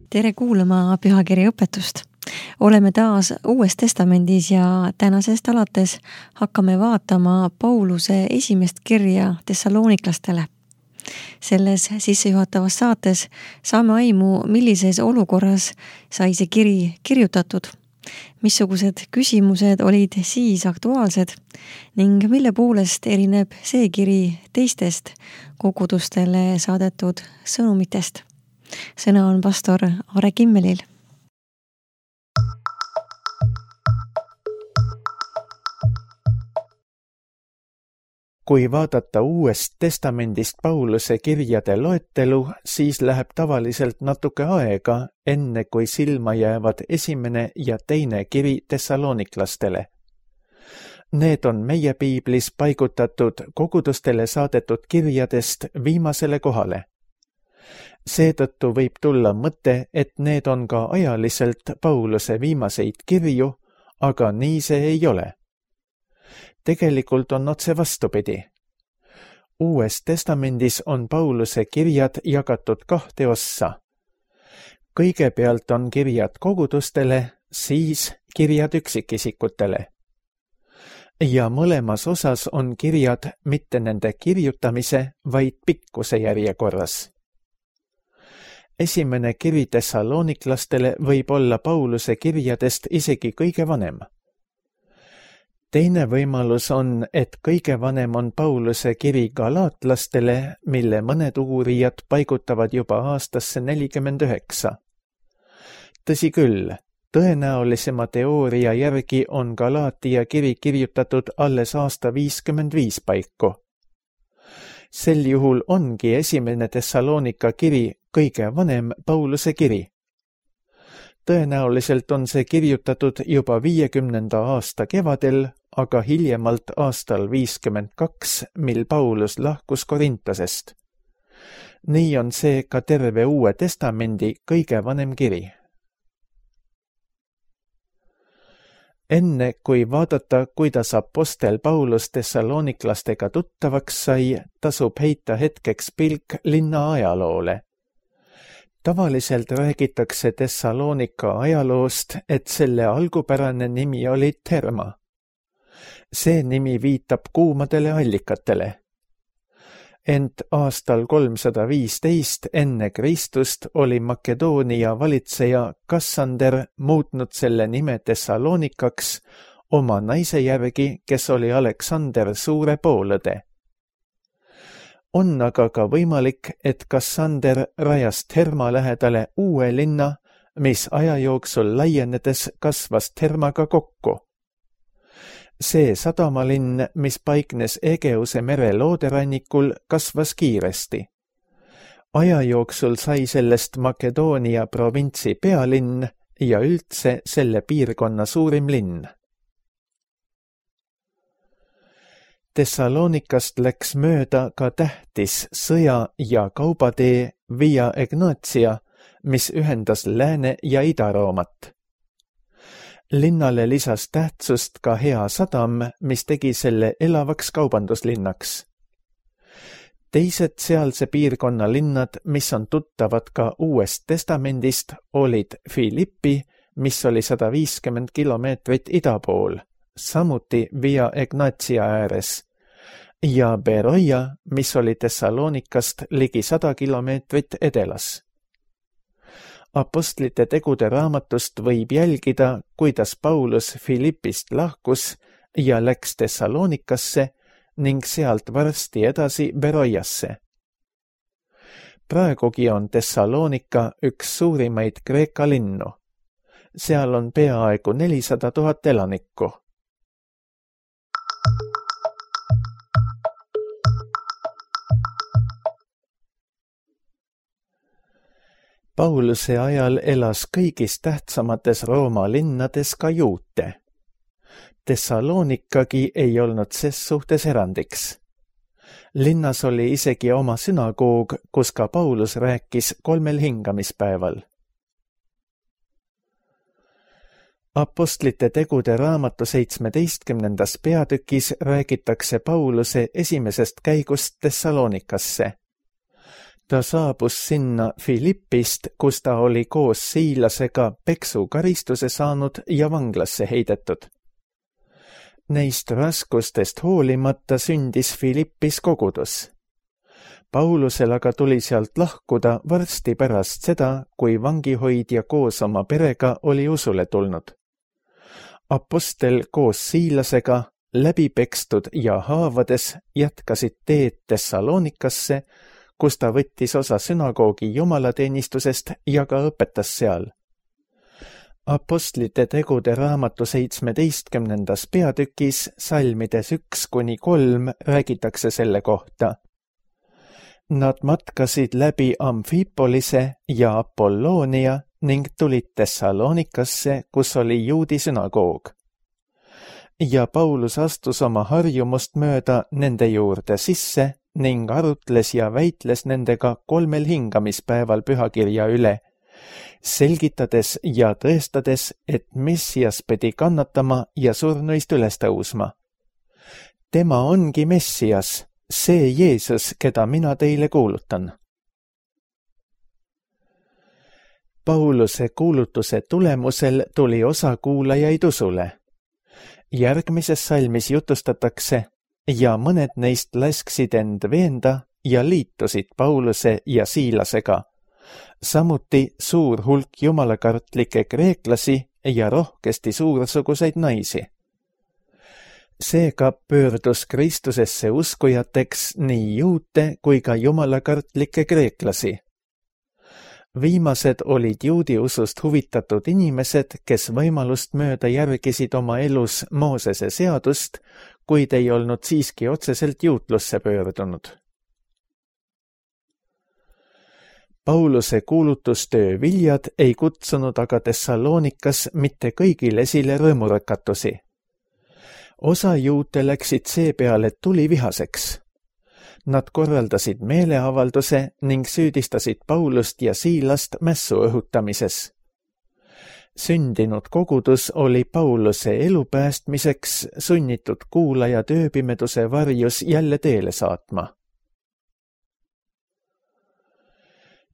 Tere kuulama pühakirja õpetust. Oleme taas Uues Testamendis ja tänasest alates hakkame vaatama Pauluse esimest kirja Thessaloniklastele. Selles sissejuhatavas saates saame aimu, millises olukorras sai see kiri kirjutatud, missugused küsimused olid siis aktuaalsed ning mille poolest erineb see kiri teistest kogudustele saadetud sõnumitest. Sõna on pastor Are Kimmelil. Kui vaadata Uuest Testamendist Pauluse kirjade loetelu, siis läheb tavaliselt natuke aega, enne kui silma jäävad esimene ja teine kiri Thessaloniklastele. Need on meie piiblis paigutatud kogudustele saadetud kirjadest viimasele kohale. Seetõttu võib tulla mõte, et need on ka ajaliselt Pauluse viimaseid kirju, aga nii see ei ole. Tegelikult on otse vastupidi. Uues Testamendis on Pauluse kirjad jagatud kahte ossa. Kõigepealt on kirjad kogudustele, siis kirjad üksikisikutele. Ja mõlemas osas on kirjad mitte nende kirjutamise, vaid pikkuse järjekorras. Esimene kiri Thessaloniklastele võib olla Pauluse kirjadest isegi kõige vanem. Teine võimalus on, et kõige vanem on Pauluse kiri galaatlastele, mille mõned uurijad paigutavad juba aastasse 49. Tõsi küll, tõenäolisema teooria järgi on Galaatia kiri kirjutatud alles aasta 55 paiku. Sel juhul ongi esimene Thessalonika kiri kõige vanem Pauluse kiri. Tõenäoliselt on see kirjutatud juba 50. aasta kevadel, aga hiljemalt aastal 52, mil Paulus lahkus Korintosest. Nii on see ka terve Uue Testamendi kõige vanem kiri. Enne kui vaadata, kuidas apostel Paulus Thessaloniklastega tuttavaks sai, tasub heita hetkeks pilk linna ajaloole. Tavaliselt räägitakse Thessalonika ajaloost, et selle algupärane nimi oli Therma. See nimi viitab kuumadele allikatele. Ent aastal 315 enne Kristust oli Makedoonia valitseja Kassander muutnud selle nime Thessalonikaks oma naise järgi, kes oli Aleksander suure poolõde. On aga ka võimalik, et Kassander rajas Therma lähedale uue linna, mis aja jooksul laienedes kasvas Thermaga kokku. See sadamalinn, mis paiknes Egeuse mere looderannikul, kasvas kiiresti. Aja jooksul sai sellest Makedoonia provintsi pealinn ja üldse selle piirkonna suurim linn. Thessalonikast läks mööda ka tähtis sõja- ja kaubatee Via Egnatia, mis ühendas Lääne- ja Ida-Roomat. Linnale lisas tähtsust ka hea sadam, mis tegi selle elavaks kaubanduslinnaks. Teised sealse piirkonna linnad, mis on tuttavad ka Uuest Testamendist, olid Filippi, mis oli 150 kilomeetrit ida pool, samuti Via Egnatia ääres, ja Beroia, mis oli Thessalonikast ligi 100 kilomeetrit edelas. Apostlite tegude raamatust võib jälgida, kuidas Paulus Filippist lahkus ja läks Thessalonikasse ning sealt varsti edasi Beroiasse. Praegugi on Thessalonika üks suurimaid Kreeka linnu. Seal on peaaegu 400 000 elanikku. Pauluse ajal elas kõigis tähtsamates Rooma linnades ka juute. Thessalonikagi ei olnud ses suhtes erandiks. Linnas oli isegi oma sünagoog, kus ka Paulus rääkis 3 hingamispäeval. Apostlite tegude raamatu 17. peatükis räägitakse Pauluse esimesest käigust Thessalonikasse. Ta saabus sinna Filippist, kus ta oli koos Siilasega peksukaristuse saanud ja vanglasse heidetud. Neist raskustest hoolimata sündis Filippis kogudus. Paulusel aga tuli sealt lahkuda varsti pärast seda, kui vangihoidja koos oma perega oli usule tulnud. Apostel koos Siilasega läbi pekstud ja haavades jätkasid teed Thessalonikasse, kus ta võttis osa sünagoogi jumalateenistusest ja ka õpetas seal. Apostlite tegude raamatu 17. peatükis salmides 1-3 räägitakse selle kohta. Nad matkasid läbi Amfipolise ja Apolloonia ning tulid Thessalonikasse, kus oli juudi sünagoog. Ja Paulus astus oma harjumust mööda nende juurde sisse ning arutles ja väitles nendega 3 hingamispäeval pühakirja üle, selgitades ja tõestades, et Messias pidi kannatama ja surnuist üles tõusma. Tema ongi Messias, see Jeesus, keda mina teile kuulutan. Pauluse kuulutuse tulemusel tuli osa kuulajaid usule. Järgmises salmis jutustatakse ja mõned neist lasksid end veenda ja liitusid Pauluse ja Siilasega. Samuti suur hulk jumalakartlikke kreeklasi ja rohkesti suursuguseid naisi. Seega pöördus Kristusesse uskujateks nii juute kui ka jumalakartlikke kreeklasi. Viimased olid juudi usust huvitatud inimesed, kes võimalust mööda järgisid oma elus Moosese seadust, kuid ei olnud siiski otseselt juutlusse pöördunud. Pauluse kuulutustöö viljad ei kutsunud aga Thessalonikas mitte kõigil esile rõõmurakatusi. Osa juute läksid seepeale tulivihaseks. Nad korraldasid meeleavalduse ning süüdistasid Paulust ja Siilast mässu õhutamises. Sündinud kogudus oli Pauluse elu päästmiseks sunnitud kuulaja tööpimeduse varjus jälle teele saatma.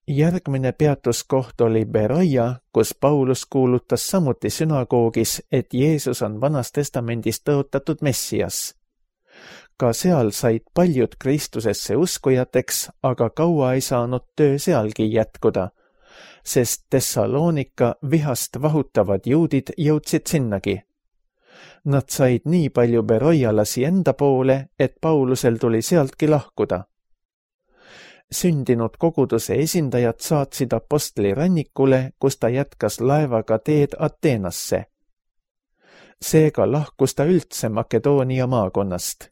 Järgmine peatuskoht oli Beroia, kus Paulus kuulutas samuti sünagoogis, et Jeesus on Vanas Testamendis tõotatud Messias. Ka seal said paljud Kristusesse uskujateks, aga kaua ei saanud töö sealgi jätkuda, sest Thessalonika vihast vahutavad juudid jõudsid sinnagi. Nad said nii palju beroialasi enda poole, et Paulusel tuli sealtki lahkuda. Sündinud koguduse esindajad saatsid apostli rannikule, kus ta jätkas laevaga teed Ateenasse. Seega lahkus ta üldse Makedoonia maakonnast.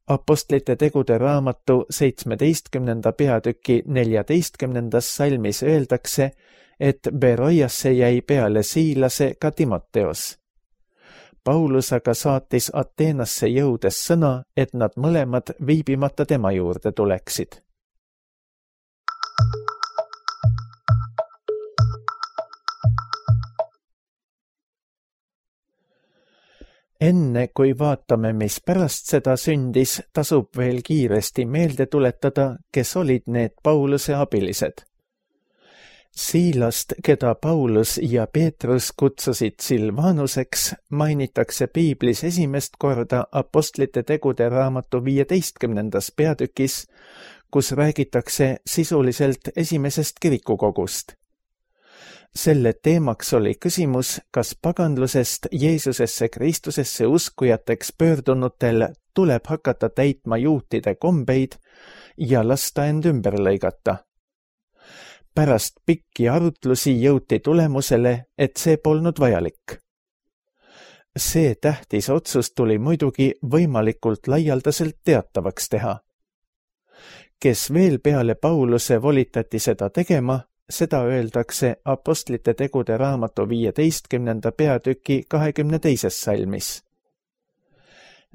Apostlite tegude raamatu 17. peatüki 14. salmis öeldakse, et Beroiasse jäi peale Siilase ka Timoteos. Paulus aga saatis Ateenasse jõudes sõna, et nad mõlemad viibimata tema juurde tuleksid. Enne kui vaatame, mis pärast seda sündis, tasub veel kiiresti meelde tuletada, kes olid need Pauluse abilised. Siilast, keda Paulus ja Peetrus kutsusid Silvanuseks, mainitakse piiblis esimest korda apostlite tegude raamatu 15. peatükis, kus räägitakse sisuliselt esimesest kirikukogust. Selle teemaks oli küsimus, kas paganlusest Jeesusesse Kristusesse uskujateks pöördunutel tuleb hakata täitma juutide kombeid ja lasta end ümber lõigata. Pärast pikki arutlusi jõuti tulemusele, et see polnud vajalik. See tähtis otsus tuli muidugi võimalikult laialdaselt teatavaks teha. Kes veel peale Pauluse volitati seda tegema, seda öeldakse apostlite tegude raamatu 15. peatüki 22. salmis.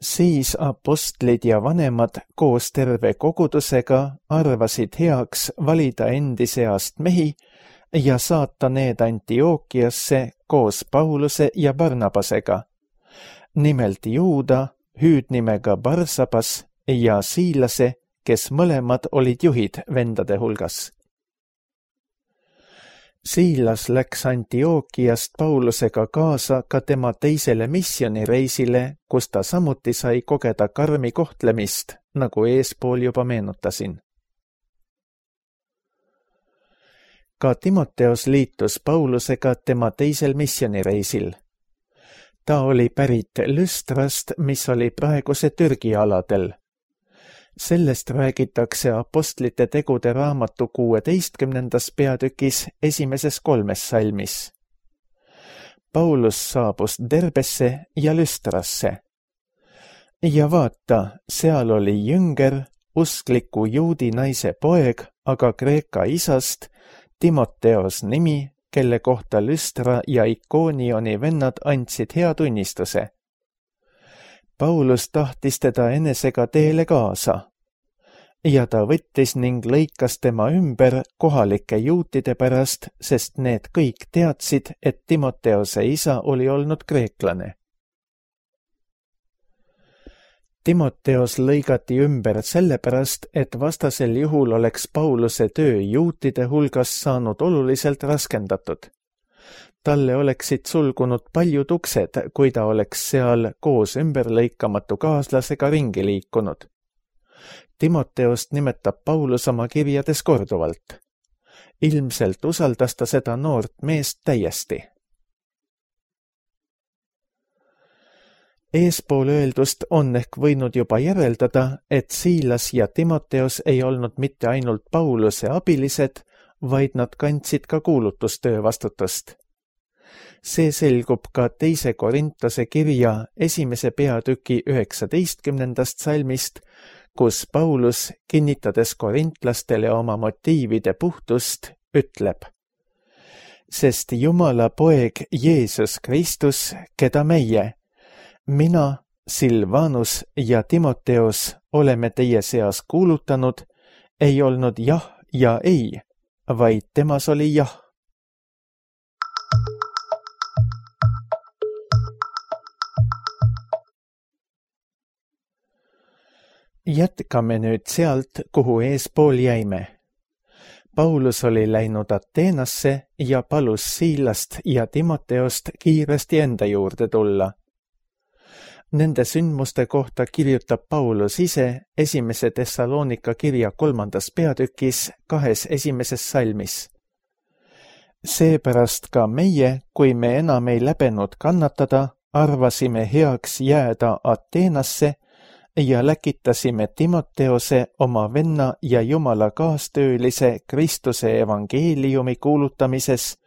Siis apostlid ja vanemad koos terve kogudusega arvasid heaks valida endi seast mehi ja saata need Antiookiasse koos Pauluse ja Barnabasega, nimelt Juuda, hüüdnimega Barsabas ja Siilase, kes mõlemad olid juhid vendade hulgas. Siilas läks Antiookiast Paulusega kaasa ka tema teisele missioonireisile, kus ta samuti sai kogeda karmi kohtlemist, nagu eespool juba meenutasin. Ka Timoteos liitus Paulusega tema teisel missioonireisil. Ta oli pärit Lüstrast, mis oli praeguse Türgi aladel. Sellest räägitakse Apostlite tegude raamatu 16. peatükis esimeses 3 salmis. Paulus saabus Derbesse ja Lüstrasse. Ja vaata, seal oli jünger, uskliku juudi naise poeg, aga Kreeka isast, Timoteos nimi, kelle kohta Lüstra ja Ikoonioni vennad andsid hea tunnistuse. Paulus tahtis teda enesega teele kaasa ja ta võttis ning lõikas tema ümber kohalike juutide pärast, sest need kõik teadsid, et Timoteose isa oli olnud kreeklane. Timoteos lõigati ümber sellepärast, et vastasel juhul oleks Pauluse töö juutide hulgas saanud oluliselt raskendatud. Talle oleksid sulgunud paljud uksed, kui ta oleks seal koos ümberlõikamatu kaaslasega ringi liikunud. Timoteost nimetab Paulus oma kirjades korduvalt. Ilmselt usaldas ta seda noort meest täiesti. Eespool öeldust on ehk võinud juba järeldada, et Siilas ja Timoteos ei olnud mitte ainult Pauluse abilised, vaid nad kandsid ka kuulutustöö vastutust. See selgub ka 2. Korintuse kirja 1. peatüki 19. salmist, kus Paulus, kinnitades korintlastele oma motiivide puhtust, ütleb: Sest Jumala poeg Jeesus Kristus, keda meie, mina, Silvanus ja Timoteos oleme teie seas kuulutanud, ei olnud jah ja ei, vaid temas oli jah. Jätkame nüüd sealt, kuhu eespool jäime. Paulus oli läinud Ateenasse ja palus Siilast ja Timoteost kiiresti enda juurde tulla. Nende sündmuste kohta kirjutab Paulus ise 1. Thessalonika kirja 3. peatükis 2 esimeses salmis. Seepärast ka meie, kui me enam ei läbenud kannatada, arvasime heaks jääda Ateenasse ja läkitasime Timoteose oma venna ja Jumala kaastöölise Kristuse evangeeliumi kuulutamises,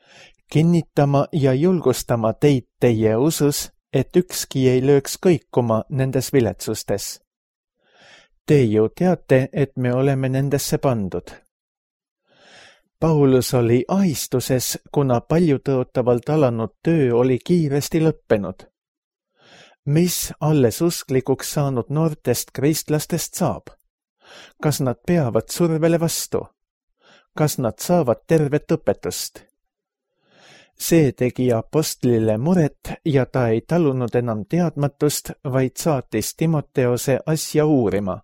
kinnitama ja julgustama teid teie usus, et ükski ei lööks kõikuma nendes viletsustes. Te ju teate, et me oleme nendesse pandud. Paulus oli ahistuses, kuna paljutõotavalt alanud töö oli kiiresti lõppenud. Mis alles usklikuks saanud noortest kristlastest saab? Kas nad peavad survele vastu? Kas nad saavad tervet õpetust? See tegi apostlile muret ja ta ei talunud enam teadmatust, vaid saatis Timoteose asja uurima.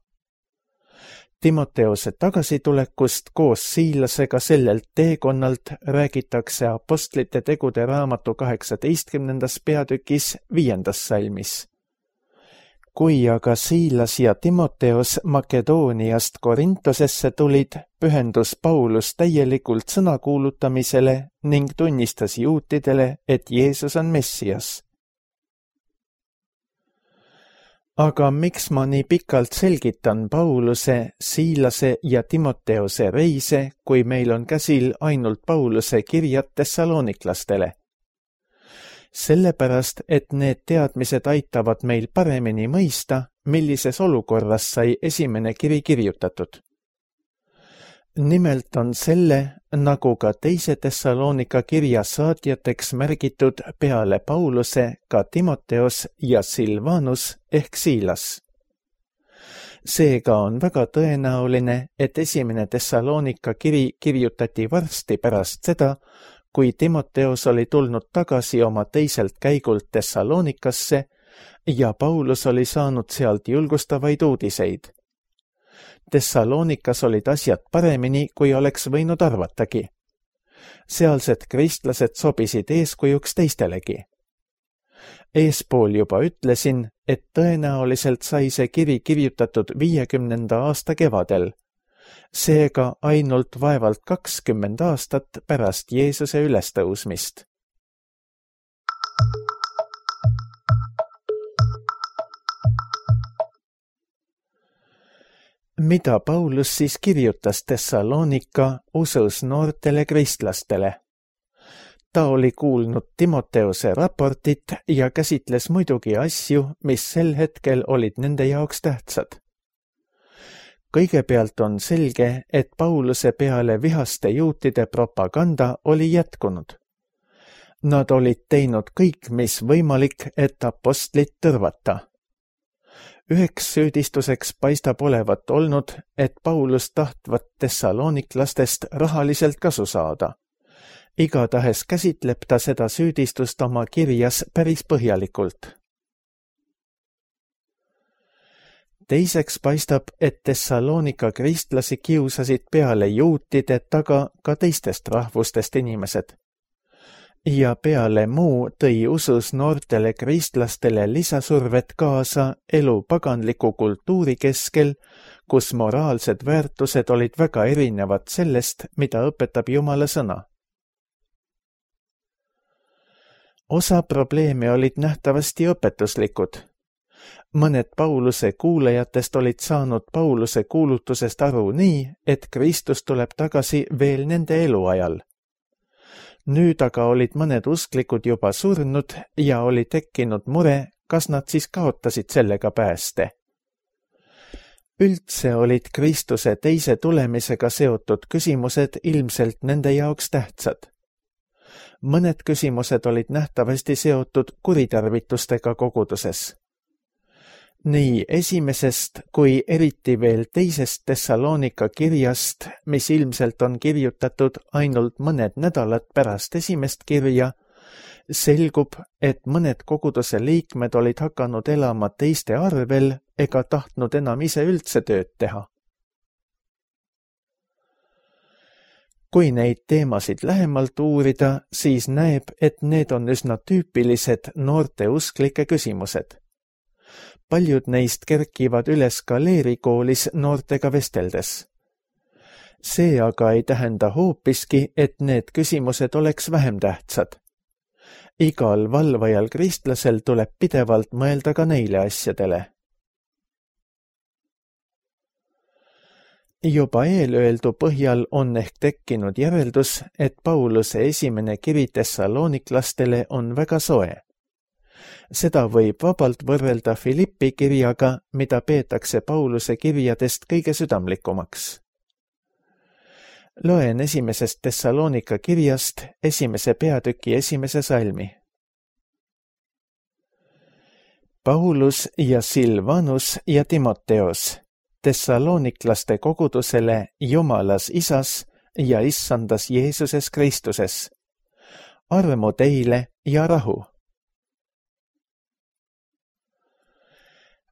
Timoteose tagasitulekust koos Siilasega sellelt teekonnalt räägitakse Apostlite tegude raamatu 18. peatükis 5. salmis. Kui aga Siilas ja Timoteos Makedooniast Korintosesse tulid, pühendus Paulus täielikult sõna kuulutamisele ning tunnistas juutidele, et Jeesus on Messias. Aga miks ma nii pikalt selgitan Pauluse, Siilase ja Timoteose reise, kui meil on käsil ainult Pauluse kirjad Thessaloniklastele? Sellepärast, et need teadmised aitavad meil paremini mõista, millises olukorras sai esimene kiri kirjutatud. Nimelt on selle, nagu ka 2. Thessalonika kirja saatjateks märgitud peale Pauluse ka Timoteos ja Silvanus ehk Siilas. Seega on väga tõenäoline, et esimene Thessalonika kiri kirjutati varsti pärast seda, kui Timoteos oli tulnud tagasi oma teiselt käigult Thessalonikasse ja Paulus oli saanud sealt julgustavaid uudiseid. Thessaloonikas olid asjad paremini, kui oleks võinud arvatagi. Sealsed kristlased sobisid eeskujuks teistelegi. Eespool juba ütlesin, et tõenäoliselt sai see kiri kirjutatud 50. aasta kevadel, seega ainult vaevalt 20 aastat pärast Jeesuse ülestõusmist. Mida Paulus siis kirjutas Thessaloonika usus noortele kristlastele? Ta oli kuulnud Timoteuse raportit ja käsitles muidugi asju, mis sel hetkel olid nende jaoks tähtsad. Kõigepealt on selge, et Pauluse peale vihaste juutide propaganda oli jätkunud. Nad olid teinud kõik, mis võimalik, et apostlit tõrvata. Üheks süüdistuseks paistab olevat olnud, et Paulus tahtvat thessalooniklastest rahaliselt kasu saada. Igatahes käsitleb ta seda süüdistust oma kirjas päris põhjalikult. Teiseks paistab, et Thessaloonika kristlasi kiusasid peale juutide taga ka teistest rahvustest inimesed. Ja peale muu tõi usus noortele kristlastele lisasurvet kaasa elu paganliku kultuuri keskel, kus moraalsed väärtused olid väga erinevad sellest, mida õpetab Jumala sõna. Osa probleeme olid nähtavasti õpetuslikud. Mõned Pauluse kuulajatest olid saanud Pauluse kuulutusest aru nii, et Kristus tuleb tagasi veel nende eluajal. Nüüd aga olid mõned usklikud juba surnud ja oli tekkinud mure, kas nad siis kaotasid sellega pääste. Üldse olid Kristuse teise tulemisega seotud küsimused ilmselt nende jaoks tähtsad. Mõned küsimused olid nähtavasti seotud kuritarvitustega koguduses. Nii esimesest kui eriti veel teisest Thessaloonika kirjast, mis ilmselt on kirjutatud ainult mõned nädalad pärast esimest kirja, selgub, et mõned koguduse liikmed olid hakanud elama teiste arvel ega tahtnud enam ise üldse tööd teha. Kui neid teemasid lähemalt uurida, siis näeb, et need on üsna tüüpilised noorte usklike küsimused. Paljud neist kerkivad üles ka leerikoolis noortega vesteldes. See aga ei tähenda hoopiski, et need küsimused oleks vähem tähtsad. Igal valvajal kristlasel tuleb pidevalt mõelda ka neile asjadele. Juba eelöeldu põhjal on ehk tekkinud järeldus, et Pauluse esimene kiri thessalooniklastele on väga soe. Seda võib vabalt võrrelda Filippi kirjaga, mida peetakse Pauluse kirjadest kõige südamlikumaks. Loen esimesest Thessaloonika kirjast 1. peatüki 1. salmi. Paulus ja Silvanus ja Timoteos, thessalooniklaste kogudusele Jumalas Isas ja Issandas Jeesuses Kristuses. Armu teile ja rahu.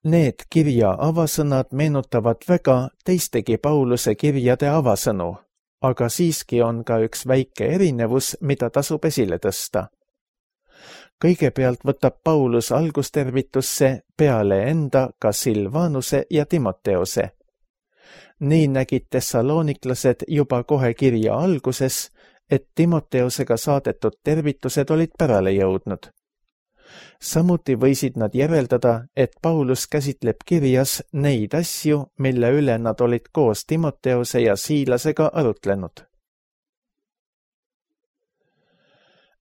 Need kirja avasõnad meenutavad väga teistegi Pauluse kirjade avasõnu, aga siiski on ka üks väike erinevus, mida tasub esile tõsta. Kõigepealt võtab Paulus algustervitusse peale enda ka Silvanuse ja Timoteose. Nii nägid thessalooniklased juba kohe kirja alguses, et Timoteosega saadetud tervitused olid pärale jõudnud. Samuti võisid nad järeldada, et Paulus käsitleb kirjas neid asju, mille üle nad olid koos Timoteose ja Siilasega arutlenud.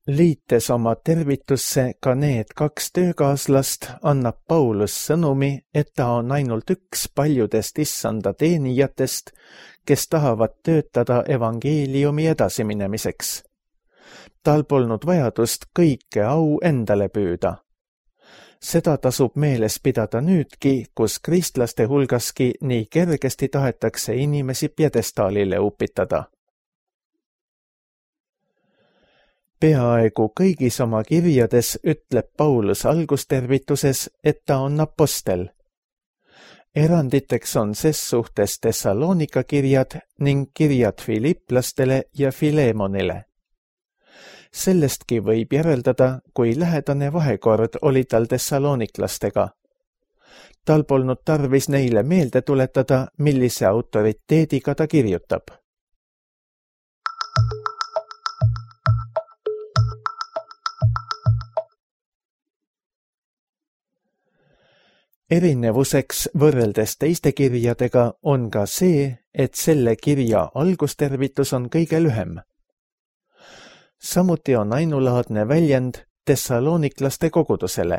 Liites oma tervitusse ka need 2 töökaaslast, annab Paulus sõnumi, et ta on ainult üks paljudest issanda teenijatest, kes tahavad töötada evangeeliumi edasiminemiseks. Tal polnud vajadust kõike au endale püüda. Seda tasub meeles pidada nüüdki, kus kristlaste hulgaski nii kergesti tahetakse inimesi pjedestaalile upitada. Peaaegu kõigis oma kirjades ütleb Paulus algustervituses, et ta on apostel. Eranditeks on ses suhtes Thessalonika kirjad ning kirjad Filiplastele ja Filemonile. Sellestki võib järeldada, kui lähedane vahekord oli tal Thessaloniklastega. Tal polnud tarvis neile meelde tuletada, millise autoriteediga ta kirjutab. Erinevuseks võrreldes teiste kirjadega on ka see, et selle kirja algustervitus on kõige lühem. Samuti on ainulaadne väljend Thessaloniklaste kogudusele.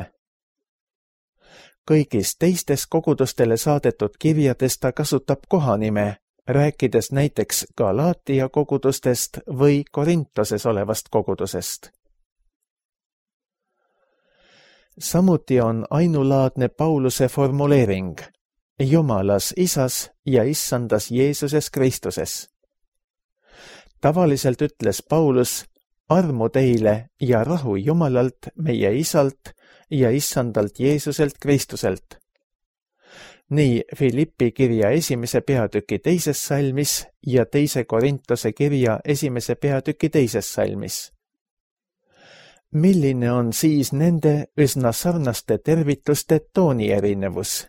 Kõigis teistes kogudustele saadetud kirjades ta kasutab kohanime, rääkides näiteks Galaatia kogudustest või Korintoses olevast kogudusest. Samuti on ainulaadne Pauluse formuleering Jumalas Isas ja Issandas Jeesuses Kristuses. Tavaliselt ütles Paulus armu teile ja rahu Jumalalt, meie Isalt ja Issandalt Jeesuselt Kristuselt. Nii Filippi kirja 1. peatüki 2. salmis ja 2. Korintose kirja 1. peatüki 2. salmis. Milline on siis nende üsna sarnaste tervituste tooni erinevus?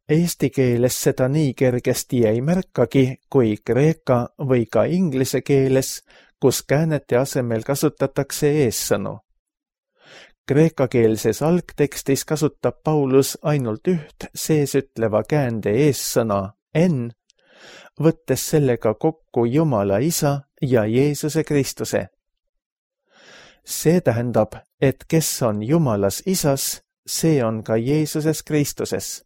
Eesti keeles seda nii kergesti ei märkagi kui kreeka või ka inglise keeles, kus käänete asemel kasutatakse eessõnu. Kreekakeelses algtekstis kasutab Paulus ainult üht seesütleva käände eessõna en, võttes sellega kokku Jumala Isa ja Jeesuse Kristuse. See tähendab, et kes on Jumalas Isas, see on ka Jeesuses Kristuses.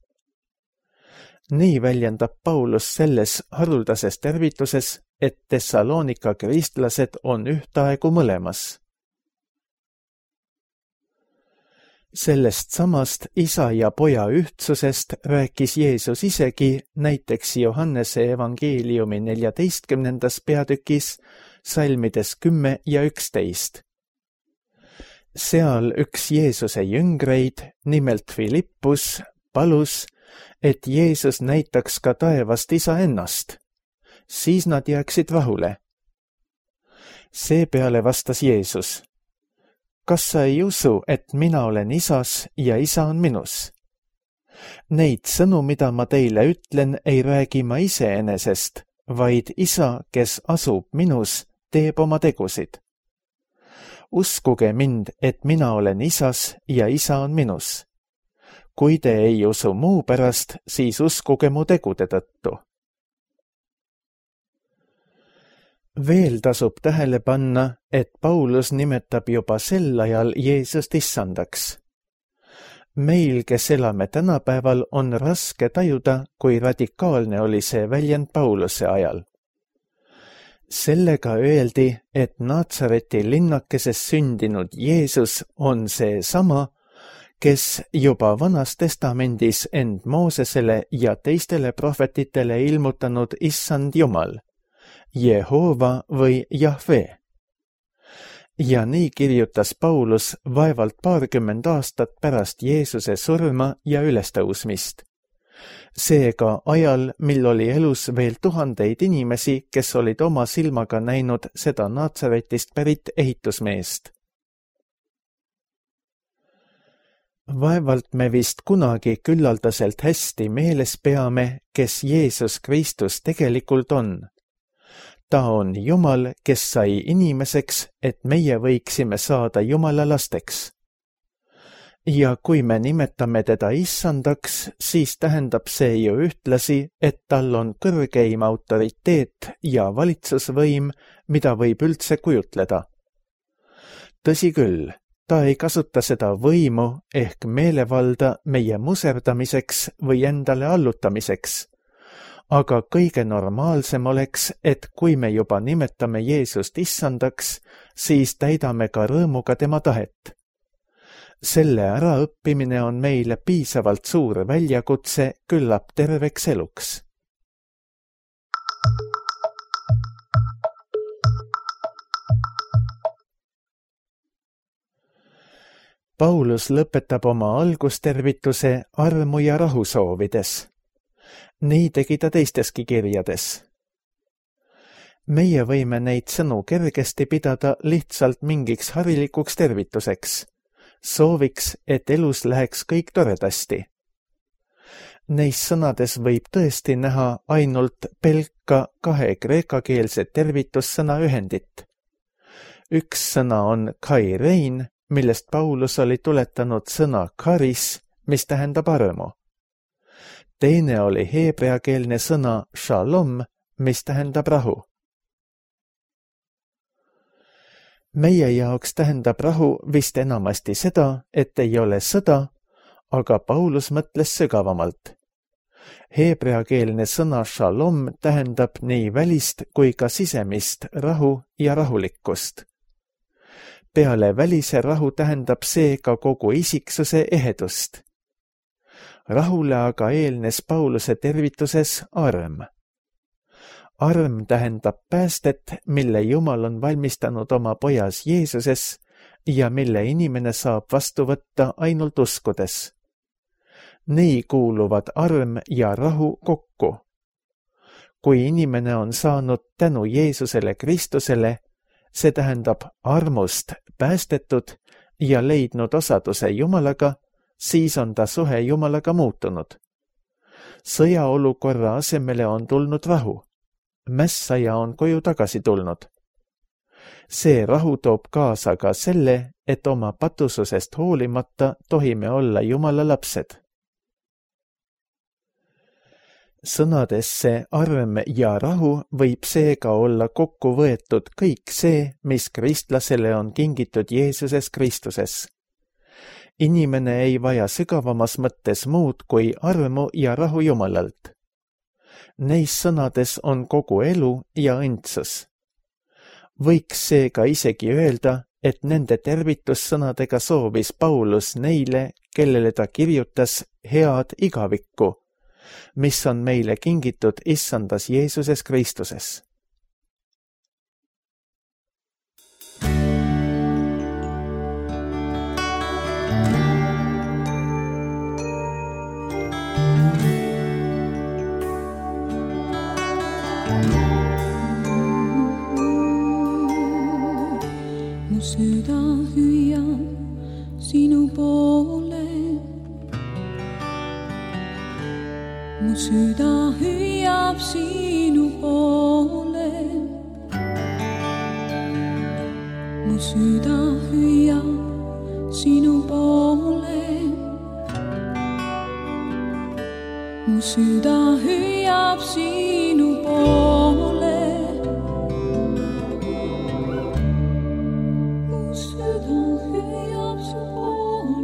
Nii väljendab Paulus selles haruldases tervituses, et Thessalonika kristlased on ühtaegu mõlemas. Sellest samast isa ja poja ühtsusest rääkis Jeesus isegi näiteks Johannese evangeeliumi 14. peatükis, salmides 10 ja 11. Seal üks Jeesuse jüngreid, nimelt Filippus, palus, et Jeesus näitaks ka taevast isa ennast. Siis nad jääksid rahule. Seepeale vastas Jeesus, kas sa ei usu, et mina olen isas ja isa on minus? Neid sõnu, mida ma teile ütlen, ei räägi ma iseenesest, vaid isa, kes asub minus, teeb oma tegusid. Uskuge mind, et mina olen isas ja isa on minus. Kui te ei usu muu pärast, siis uskuge mu tegude tõttu. Veel tasub tähele panna, et Paulus nimetab juba sel ajal Jeesust issandaks. Meil, kes elame tänapäeval, on raske tajuda, kui radikaalne oli see väljend Pauluse ajal. Sellega öeldi, et Naatsareti linnakeses sündinud Jeesus on see sama, kes juba Vanas Testamendis end Moosesele ja teistele prohvetitele ilmutanud issand Jumal, Jehova või Jahve. Ja nii kirjutas Paulus vaevalt 20 aastat pärast Jeesuse surma ja ülestõusmist. Seega ajal, mil oli elus veel tuhandeid inimesi, kes olid oma silmaga näinud seda Naatsaretist pärit ehitusmeest. Vaevalt me vist kunagi küllaldaselt hästi meeles peame, kes Jeesus Kristus tegelikult on. Ta on Jumal, kes sai inimeseks, et meie võiksime saada Jumala lasteks. Ja kui me nimetame teda issandaks, siis tähendab see ju ühtlasi, et tal on kõrgeim autoriteet ja valitsusvõim, mida võib üldse kujutleda. Tõsi küll, ta ei kasuta seda võimu ehk meelevalda meie muserdamiseks või endale allutamiseks. Aga kõige normaalsem oleks, et kui me juba nimetame Jeesust issandaks, siis täidame ka rõõmuga tema tahet. Selle äraõppimine on meile piisavalt suur väljakutse küllap terveks eluks. Paulus lõpetab oma algustervituse armu ja rahu soovides. Nii tegi ta teisteski kirjades. Meie võime neid sõnu kergesti pidada lihtsalt mingiks harilikuks tervituseks, sooviks, et elus läheks kõik toredasti. Neis sõnades võib tõesti näha ainult pelka 2 kreekakeelset tervitussõna ühendit. Üks sõna on kairein, millest Paulus oli tuletanud sõna karis, mis tähendab armu. Teine oli heebreakeelne sõna shalom, mis tähendab rahu. Meie jaoks tähendab rahu vist enamasti seda, et ei ole sõda, aga Paulus mõtles sügavamalt. Heebreakeelne sõna shalom tähendab nii välist kui ka sisemist rahu ja rahulikkust. Peale välise rahu tähendab see ka kogu isiksuse ehedust. Rahule aga eelnes Pauluse tervituses arm. Arm tähendab päästet, mille Jumal on valmistanud oma pojas Jeesuses ja mille inimene saab vastu võtta ainult uskudes. Nii kuuluvad arm ja rahu kokku. Kui inimene on saanud tänu Jeesusele Kristusele, see tähendab armust päästetud ja leidnud osaduse Jumalaga, siis on ta suhe Jumalaga muutunud. Sõjaolukorra asemele on tulnud rahu. Mässaja on koju tagasi tulnud. See rahu toob kaasa ka selle, et oma patususest hoolimata tohime olla Jumala lapsed. Sõnadesse arm ja rahu võib seega olla kokku võetud kõik see, mis kristlasele on kingitud Jeesuses Kristuses. Inimene ei vaja sügavamas mõttes muud kui armu ja rahu Jumalalt. Neis sõnades on kogu elu ja õndsus. Võiks seega isegi öelda, et nende tervitussõnadega soovis Paulus neile, kellele ta kirjutas head igavikku, mis on meile kingitud Issandas Jeesuses Kristuses. Mu süda hüüab sinu poole. Mu süda hüüab sinu poole. Mu süda hüüab sinu poole. Mu süda hüüab sinu poole. Mu süda hüüab su poole.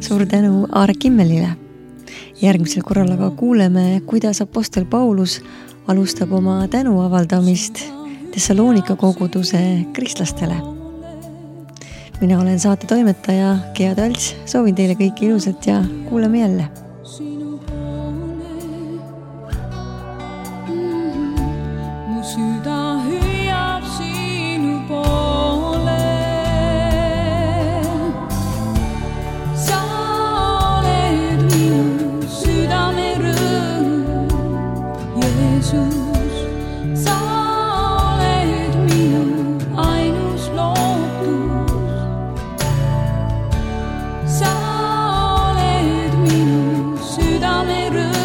Suur tänu Aare Kimmelile. Järgmisel korral aga kuuleme, kuidas apostel Paulus alustab oma tänu avaldamist Thessalonika koguduse kristlastele. Mina olen saate toimetaja Gea Talts, soovin teile kõike ilusat ja kuuleme jälle. Sa oled minu südame rõõm.